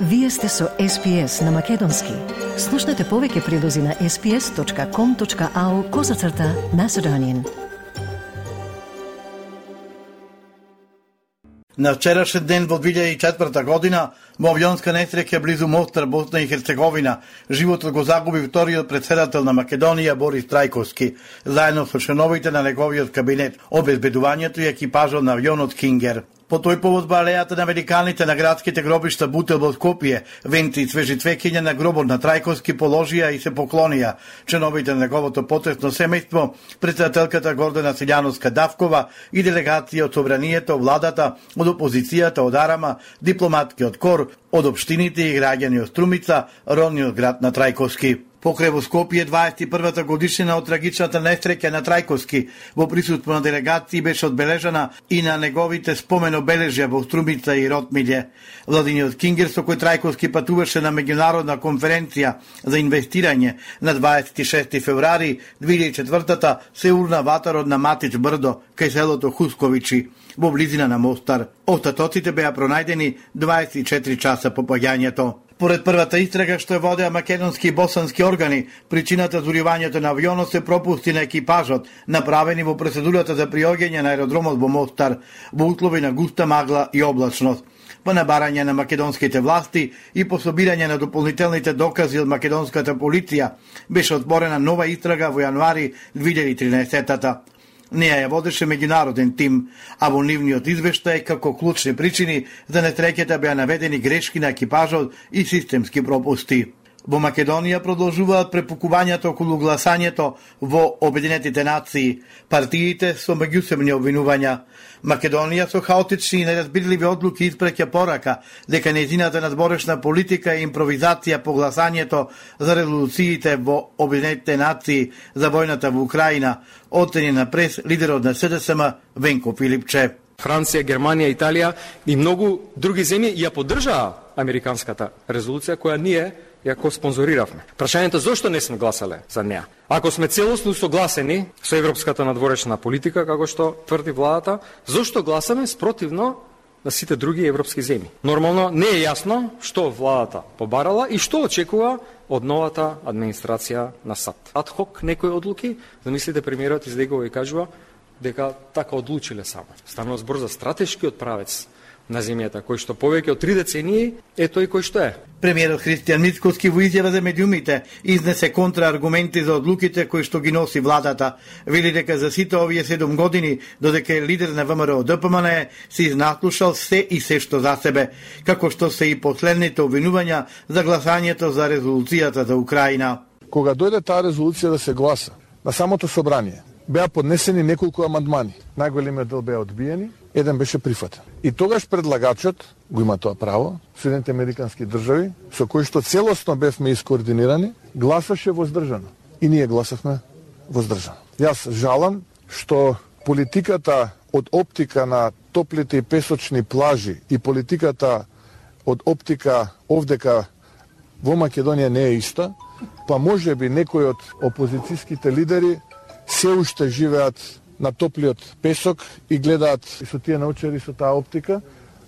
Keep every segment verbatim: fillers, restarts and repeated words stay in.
Вие сте со Ес Пи Ес на Македонски. Слушнете повеќе прилози на ес пи ес точка ком точка ау козацрта Macedonian. На вчерашен ден во две илјади и четврта година во авионска несреќа близу Мостар, Босна и Херцеговина, животот го загуби вториот претседател на Македонија Борис Трајковски, заедно со членовите на неговиот кабинет, обезбедувањето и екипажот на авионот Кингер. По тој повод во алејата на великаните на градските гробишта Бутел во Скопје, венци и свежи цвеќиња на гробот на Трајковски положија и се поклонија членовите на неговото потресно семејство, претседателката Гордана Силјановска-Давкова и делегација од собранието, владата, од опозицијата, од Арама, дипломатскиот кор, од општините и граѓани од Струмица, родниот град на Трајковски. Покрај во Скопје дваесет и првата годишнина од трагичната несреќа на Трајковски во присуство на делегации беше одбележана и на неговите спомен обележја во Струмица и Ротмилје. Владиниот Кингер, со кој Трајковски патуваше на меѓународна конференција за инвестирање на дваесет и шести февруари две илјади и четвртата, се урна ватарот на Матич брдо кај селото Хусковичи во близина на Мостар. Остатоците беа пронајдени дваесет и четири часа по паѓањето. Поред првата истрага што ја водеа македонски и босански органи, причината за уривањето на авионот се пропусти на екипажот, направени во процедурата за приоѓање на аеродромот во Мостар, во услови на густа магла и облачност. По набарање на македонските власти и по собирање на дополнителните докази од македонската полиција, беше отворена нова истрага во јануари две илјади и тринаесетта. Неја ја водеше меѓународен тим, а во нивниот извештај како клучни причини за несреќата беа наведени грешки на екипажот и системски пропусти. Во Македонија продолжуваат препукувањата околу гласањето во Обединетите нации, партиите со меѓусебни обвинувања. Македонија со хаотични и неразбирливи одлуки испреќа порака дека нејзината надборешна политика и импровизација по гласањето за резолуциите во Обединетите нации за војната во Украина, оцени на прес лидерот на Се Де Се Ем Венко Филипче. Франција, Германија, Италија и многу други земји ја поддржаа американската резолуција која ние ја ко спонзориравме. Прашањето зошто не сме гласале за неа? Ако сме целосно согласени со европската надворешна политика, како што тврди владата, зошто гласаме спротивно на сите други европски земји? Нормално не е јасно што владата побарала и што очекува од новата администрација на САД. Адхок некои одлуки, замислите премиерот излегува и кажува дека така одлучиле само. Станува збор за стратешкиот правец на земјата, кој што повеќе од три децении е тој кој што е. Премиерот Христијан Мицкоски во изјава за медиумите изнесе контрааргументи за одлуките кои што ги носи владата. Вели дека за сите овие седум години, додека е лидер на Вэ Ем Ер О Д П М Н Е, се изнаслушал се и се што за себе, како што се и последните обвинувања за гласањето за резолуцијата за Украина. Кога дојде таа резолуција да се гласа на самото собрание, беа поднесени неколку амандмани. Најголемиот дел беа одбиени, еден беше прифатен. И тогаш предлагачот го има тоа право, Соединените американски држави, со кои што целосно бевме искоординирани, гласаше воздржано. И ние гласавме воздржано. Јас жалам што политиката од оптика на топлите и песочни плажи и политиката од оптика овдека во Македонија не е иста, па може би некои од опозицијските лидери се уште живеат на топлиот песок и гледаат и со тие научари со таа оптика.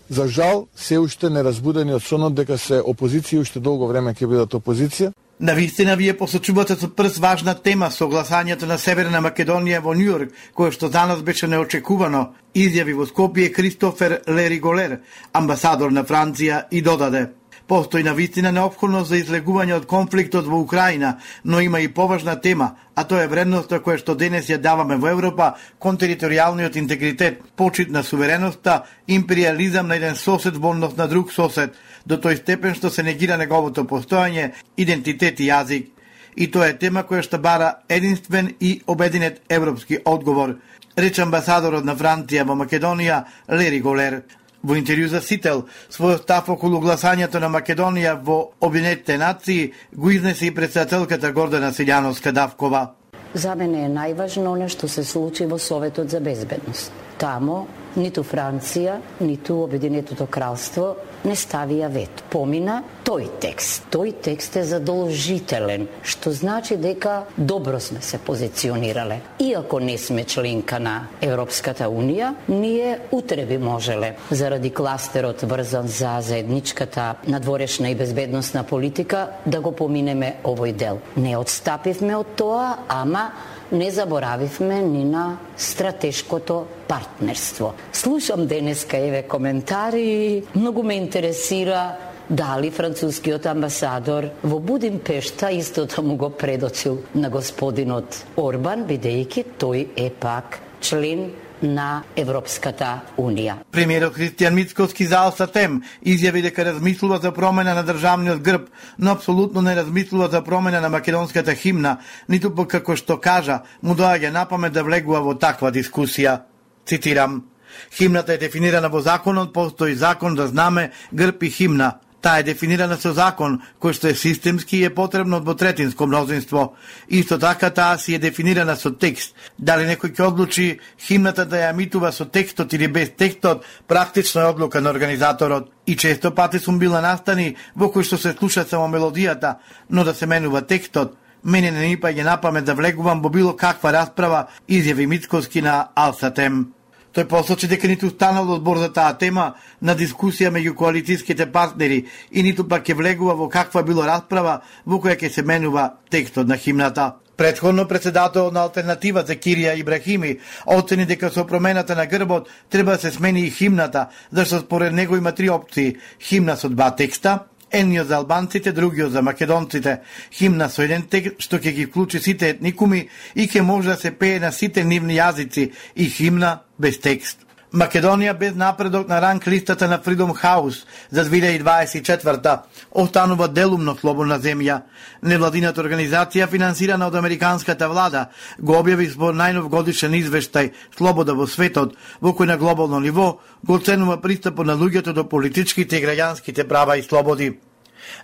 За жал, се уште неразбудени од сонот дека се опозиција и уште долго време ќе бидат опозиција. Навистина вие посочувате со прс важна тема со гласањето на Северна Македонија во Њујорк, кое што за нас беше неочекувано, изјави во Скопје Кристофер Лериголер, амбасадор на Франција, и додаде: постои навистина неопходност за излегување од конфликтот во Украина, но има и поважна тема, а тоа е вредноста која што денес ја даваме во Европа кон територијалниот интегритет, почит на сувереноста, империализам на еден сосед во однос на друг сосед, до тој степен што се негира неговото постојање, идентитет и јазик. И тоа е тема која што бара единствен и обединет европски одговор, рече амбасадорот на Франција во Македонија Лери Голер. Во интервју за Сител, својот став околу гласањето на Македонија во Обединетите нации го изнесе и претседателката Гордана Силјановска-Давкова. За мене е најважно она што се случи во Советот за безбедност. Тамо ниту Франција, ниту Обединетото кралство не ставија вето. Помина тој текст. Тој текст е задолжителен, што значи дека добро сме се позиционирале. Иако не сме членка на Европската унија, ние утре би можеле, заради кластерот врзан за заедничката надворешна и безбедносна политика, да го поминеме овој дел. Не отстапивме од тоа, ама не заборавивме ни на стратешкото партнерство. Слушам денеска еве коментари, многу ме интересира дали францускиот амбасадор во Будимпешта истото му го предочил на господинот Орбан, бидејќи тој е пак член на Европската унија. Премиерот Христијан Мицкоски за Алсатем изјави дека размислува за промена на државниот грб, но апсолутно не размислува за промена на македонската химна, ниту пак како што кажа, му доаѓа на памет да влегува во таква дискусија. Цитирам: "Химната е дефинирана во законот, постои закон за знаме, грб и химна. Таа е дефинирана со закон, кој што е системски и е потребно двотретинско мнозинство. Исто така таа си е дефинирана со текст. Дали некој ќе одлучи химната да ја емитува со текстот или без текстот, практично е одлука на организаторот. И често пати сум била настани во кој што се слуша само мелодијата, но да се менува текстот. Мене не ни паѓа на памет да влегувам во било каква расправа", изјави Мицкоски на Алсатем. Тој посочи дека ниту станал одбор за таа тема на дискусија меѓу коалицијските партнери и ниту пак ќе влегува во каква било расправа во која ќе се менува текстот на химната. Претходно председател на Алтернатива Закирија Ибрахими оцени дека со промената на грбот треба да се смени и химната, зашто според него има три опции: химна со два текста, едниот за албанците, другиот за македонците, химна со еден текст што ќе ги вклучи сите етникуми и ќе може да се пее на сите нивни јазици, и химна без текст. Македонија без напредок на ранг листата на Freedom House за две илјади дваесет и четврта останува делумно слободна земја. Невладината организација, финансирана од американската влада, го објави во најнов годишен извештај "Слобода во светот", во кој на глобално ниво го оценува пристапот на луѓето до политичките и граѓанските права и слободи.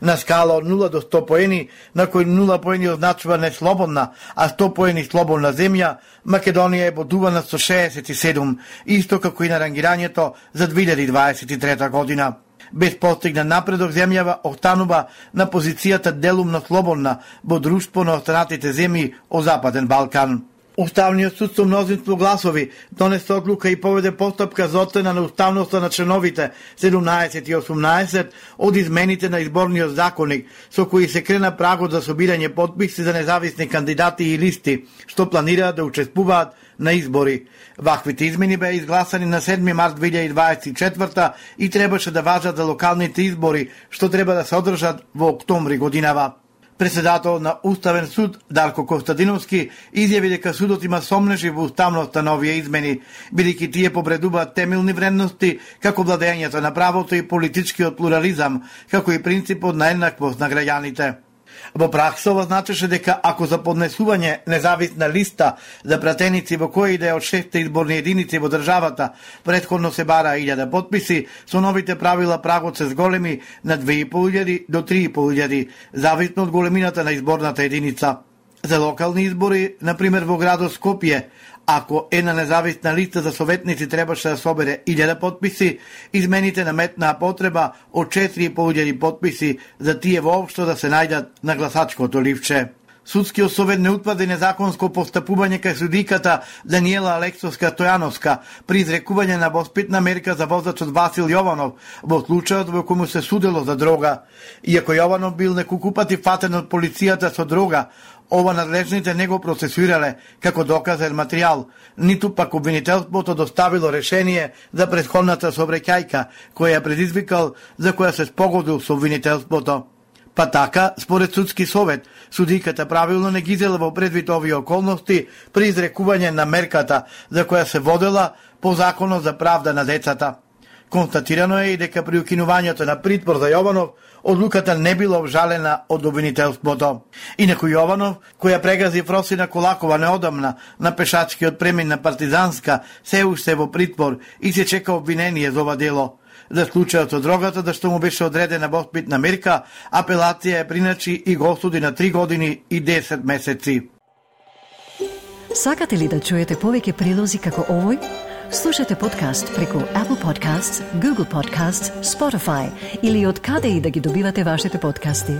На скала од нула до сто поени, на кој нула поени означува неслободна, а сто поени слободна земја, Македонија е бодувана со шеесет и седум, исто како и на рангирањето за две илјади дваесет и трета година. Без постигнат напредок, земјава останува на позицијата делумно слободна во друштво на останатите земји од Западен Балкан. Уставниот суд со мнозинство гласови донесе одлука и поведе постапка за оцена на уставноста на членовите седумнаесет и осумнаесет од измените на изборниот законник, со кои се крена прагот за собирање потписи за независни кандидати и листи, што планираат да учествуваат на избори. Ваквите измени беа изгласани на седми март две илјади дваесет и четврта и требаше да важат за локалните избори, што треба да се одржат во октомври годинава. Председател на Уставен суд Дарко Костадиновски изјави дека судот има сомнежи во уставноста на овие измени, бидејќи тие повредуваат темелни вредности како владењето на правото и политичкиот плурализам, како и принципот на еднаквост на граѓаните. Во пракса ова значеше дека ако за поднесување независна листа за пратеници во која и да е од шесте изборни единици во државата претходно се бара илјада потписи, со новите правила прагот се зголеми на две и пол илјади до три и пол илјади, зависно од големината на изборната единица. За локални избори, например во градот Скопје, ако една независна листа за советници требаше да собере илјада потписи, измените наметнаа потреба од четири и пол илјади потписи за тие воопшто да се најдат на гласачкото ливче. Судскиот совет не утврди незаконско постапување кај судиката Даниела Алексовска Стојановска при изрекување на воспитна мерка за возачот Васил Јованов во случајот во кој му се судело за дрога. Иако Јованов бил неколку пати фатен од полицијата со дрога, ова надлежните не го процесуирале како доказен материјал, ниту пак обвинителството доставило решение за претходната сообраќајка која ја предизвикал, за која се спогодил со обвинителството. Па така, според судски совет, судиката правилно не ги зела во предвид овие околности при изрекување на мерката за која се водела по законот за правда на децата. Констатирано е и дека при укинувањето на притвор за Јованов, одлуката не била обжалена од обвинителството. Инаку Јованов, која прегази Фросина Колакова неодамна на пешачкиот премин на Партизанска, се уште во притвор и се чека обвинение за ова дело. За случајот со дрогата, да што му беше одредена воспитна мерка, апелација е приначи и го осуди на три години и десет месеци. Сакате ли да чуете повеќе прилози како овој? Слушате подкаст преку Apple Podcasts, Google Podcasts, Spotify или од каде и да ги добивате вашите подкасти.